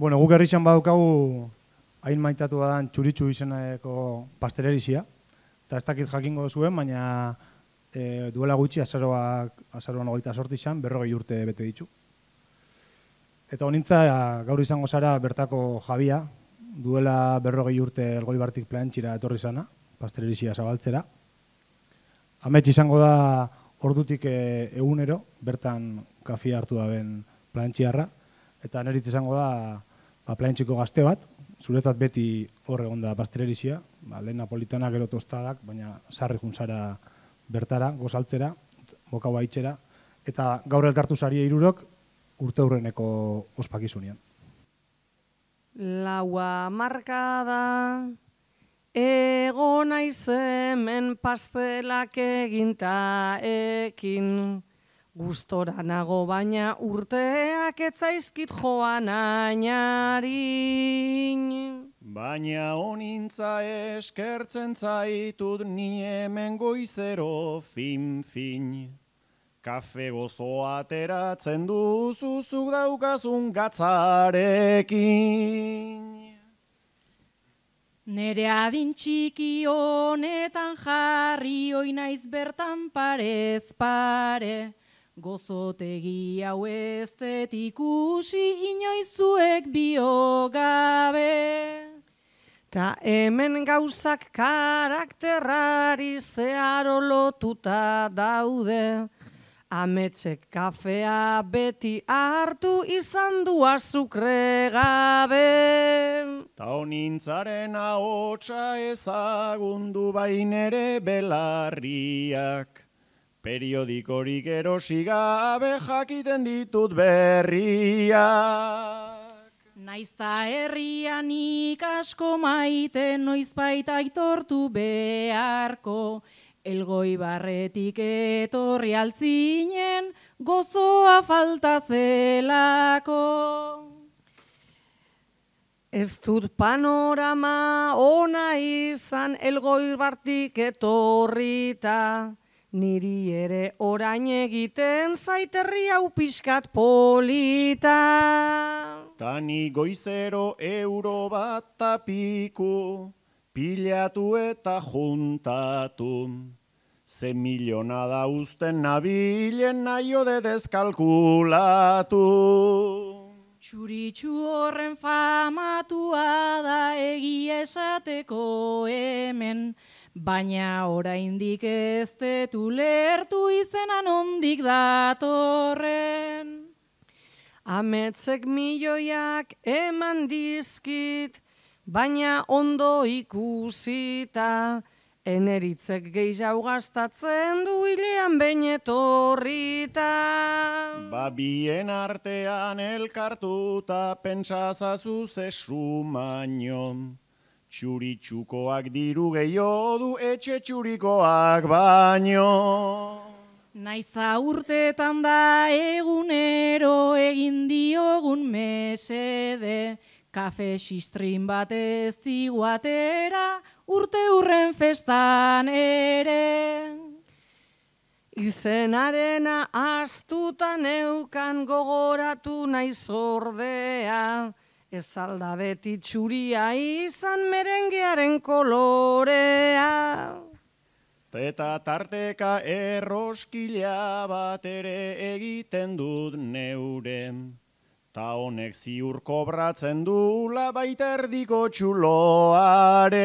Bueno, guk herritxan badaukagu hain maitatu badan txuritxu izeneko pastelerizia. Eta ez dakit jakingo zuen, baina duela gutxi azaroan 28 izan, 40 urte bete ditu. Eta honintza gaur izango zara bertako jabia, duela 40 urte Elgoibartik Plantxira etorri zana, pastelerizia zabaltzera. Amets izango da ordutik egunero, bertan kafia hartu daben plantxiarra, eta nerit izango da plantxiko gazte bat, zuretzat beti hor egon da pastelerizia, lehen napolitana gero tostadak, baina sarri juntzara bertara, gozaltzera, bokau haitzera, eta gaur elkartu zaria hirurok urte hurreneko ospakizunean. Laua markada, ego naiz hemen pastelak eginta ekin, gustora nago baina urteak etzaizkit joan ainarin. Baina honintza eskertzen zaitut ni hemen goizero fin-fin. Kafe gozoa ateratzen duzuzuk daukazun gatzarekin. Nere adin txiki honetan jarri oi naiz bertan parez pare, gozotegi hau ez dut ikusi inoizuek biogabe. Ta hemen gauzak karakterrari zeharo lotuta daude, ametsek kafea beti hartu izan du azukre gabe. Ta honintzaren ahotsa ezagundu bainere belarriak, periodikorik erosi gabe jakiten ditut berriak. Naizta herrian asko maite noizbait aitortu beharko, Elgoibarretik etorri altzinen gozoa falta zelako. Ez dut panorama ona izan Elgoibartik etorrita, niri ere orain egiten zait herri hau pixkat polita. Tani goizero euro bat tapiku, pilatu eta juntatu. Ze miliona da uzten nabilen naio de deskalkulatu. Txuritxu horren famatua da egia esateko hemen, baina oraindik ez dut ulertu izenan ondik datorren. Ametsek milioiak eman dizkit, baina ondo ikusita, eneritzek gehiago gastatzen du hilean behin etorrita. Bien artean elkartuta pentsazazu zesu maino. Txuritxukoak diru gehiago du etxe txurikoak baino. Naiza urtetan da egunero egin diogun mesede, kafe xistrin bat ez diguatera urte hurren festan ere. Izenarena astuta neukan gogoratu naiz ordea, ez alda beti txuria izan merengearen kolorea. Eta tarteka erroskila bat ere egiten dut neure. Ta honek ziur kobratzen dula baita erdiko txuloare.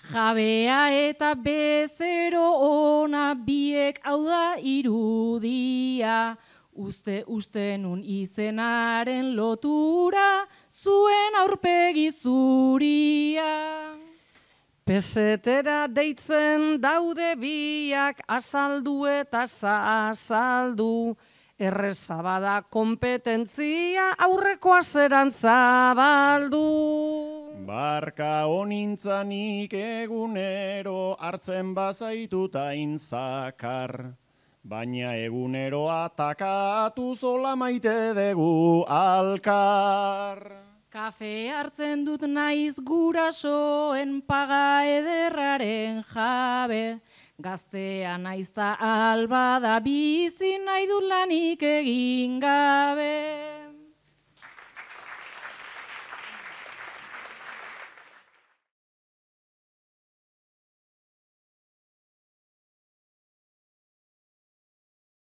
Jabea eta bezero ona biek hau da irudia, uste nun izenaren lotura zuen aurpegi zuria. Pesetera deitzen daude biak azaldu eta azaldu, errezabada kompetentzia aurrekoa zeran zabaldu. Barka honintzanik egunero hartzen bazaituta inzakar, baina egunero atakatu zola maite dugu alkar. Kafe hartzen dut naiz gurasoen paga ederraren jabe, gaztea naizta alba da bizi nahi dut lanik egin gabe.